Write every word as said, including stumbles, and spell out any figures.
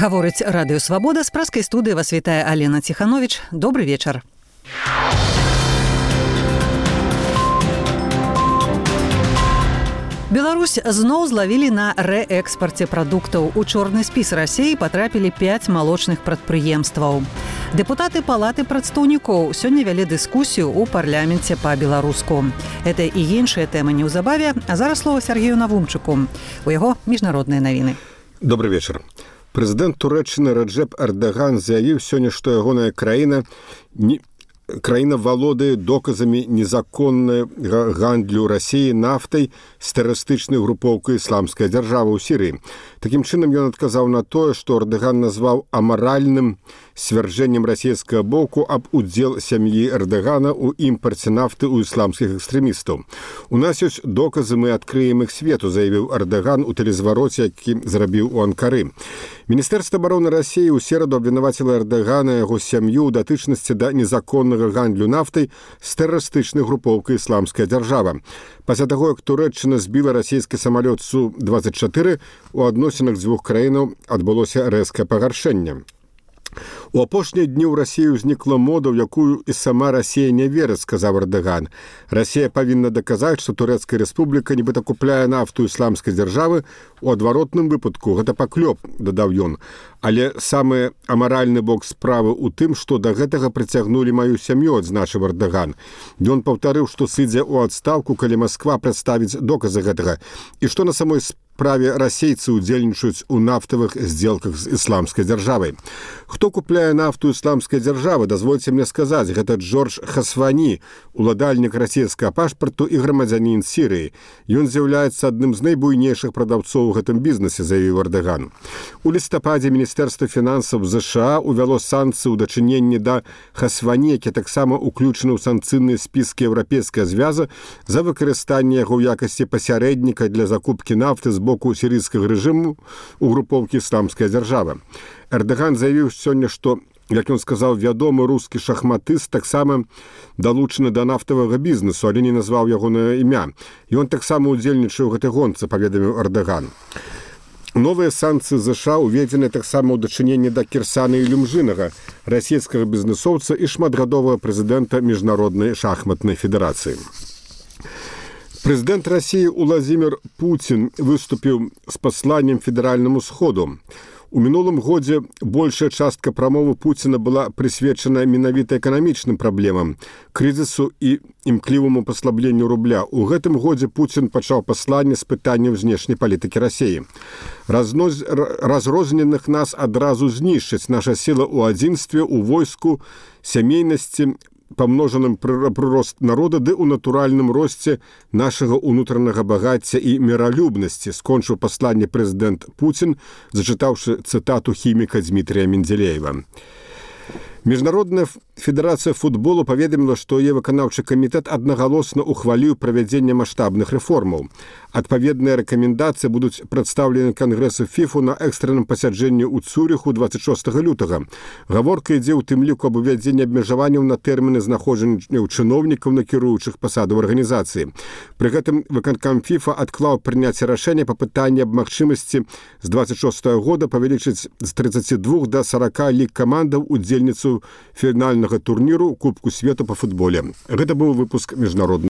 Гаворыць радыё Свабода, з праскай студыі вас вітае Алена Ціхановіч. Добры вечар. Беларусь зноў злавілі на рээкспарце прадуктаў. У чорны спіс Расіі патрапілі пяць малочных прадпрыемстваў. Дэпутаты палаты прадстаўнікоў сёння вялі дыскусію ў парламенце па-беларуску. Гэта і іншыя тэмы неўзабаве, а зараз слова Сергею Навумчыку. У яго міжнародныя навіны. Добрый вечар. Прэзідэнт Турэччыны Раджэп Эрдаган заявіў сёння, што ягоная краіна не краіна валодае доказамі незаконнай гандлю Расіі нафтай з тэрарыстычнай групоўкай ісламская дзяржава ў Сірыі. Такім чынам ён адказаў на тое, што Эрдаган назваў амаральным сцвярджэннем расійскага боку аб удзел сям'і Эрдагана ў імпарце нафты ў ісламскіх экстрэмістаў. У нас ёсць доказы, мы адкрыем іх свету, заявіў Эрдаган у тэлезвароце, які зрабіў у Анкары. Міністэрства абароны Расіі ў сераду абвінаваціла Эрдагана і яго сям'ю ў датычнасці да незаконнага гандлю нафтай з тэрарыстычнай групоўкай ісламская дзяржава. Пасля таго, як Турэччына збіла расійскі самалёт Су двадцять чатыры, у адносінах дзвюх краінаў адбылося рэзкае пагаршэнне. У апошнія дні ў Расіі ўзнікла мода, ў якую і сама Расія не верыць, сказаў Эрдаган. Расія павінна даказаць, што Турэцкая рэспубліка нібыта купляе нафту ісламскай дзяржавы, у адваротным выпадку гэта паклёп, дадаў ён. Але самы амаральны бок справы ў тым, што да гэтага прыцягнулі маю сям'ю, адзначыў Эрдаган. Ён паўтарыў, што сыдзе ў адстаўку, калі Масква прадставіць доказы гэтага, і што на самой справе расейцы удзельнічаюць у нафтавых здзелках з ісламскай дзяржавай. Хто купляе нафту ісламскай дзяржавы, дазвольце мне сказаць, гэта Джордж Хасвані, уладальнік расійскага пашпарту і грамадзянін Сірыі. Ён з'яўляецца адным з найбуйнейшых прадаўцоў у гэтым бізнесе, заявіў Эрдаган. У лістападзе Міністэрства фінансаў ЗША увяло санкцыі ў дачыненні да Хасвані, які таксама ўключаны ў санкцыйныя спіскі Еўрапейскага звяза за выкарыстанне яго ў якасці пасярэдніка для закупкі нафты з боку сірыйскага рэжыму ў групоўкі ісламская дзяржава. Эрдаган заявіў сёння, што, як ён сказаў, вядомы рускі шахматыст таксама далучаны да нафтавага бізнесу, але не назваў ягонае імя. Ён таксама ўдзельнічае ў гэтай гонцы, паведаміў Эрдаган. Новыя санкцыі ЗША уведзены таксама ў дачыненні да Кірсана Ілюмжынага, расійскага бізнесоўца і шматгадовага прэзідэнта Міжнароднай шахматнай федэрацыі. Прэзідэнт Расіі Уладзімір Пуцін выступіў з пасланнем федэральнаму сходу. У мінулым годзе большая частка прамовы Пуціна была прысвечана менавіта эканамічным праблемам, крызісу і імкліваму паслабленню рубля. У гэтым годзе Пуцін пачаў пасланне з пытанняў знешняй палітыкі Расіі. Разноз... Разрозненых нас адразу знішчыць, наша сіла ў адзінстве, у войску, сямейнасці, памножаным прырост народа ды ў натуральным росце нашага ўнутранага багацця і міралюбнасці, скончыў пасланне прэзідэнт Пуцін, зачытаўшы цытату хіміка Дмітрія Менделеева. Міжнародная федэрацыя футболу паведаміла, што яе выканаўчы камітэт аднагалосна ухваліў правядзенне маштабных рэформаў. Адпаведныя рэкамендацыі будуць прадстаўлены Кангрэсу ФІФУ на экстранным пасяджэнні ў Цюрыху двадцять шостага лютага. Гаворка ідзе ў тым ліку аб увядзенні абмежаванняў на тэрміны знаходжання чыноўнікаў на кіруючых пасадаў арганізацыі. Пры гэтым выканкам ФІФА адклаў прыняцце рашэння па пытанні аб магчымасці з двадцать шостага года павялічыць з тридцати двух да сорока ліг камандаў удзельніцу фінальнага турніру Кубку свету па футболе. Гэта быў выпуск міжнародных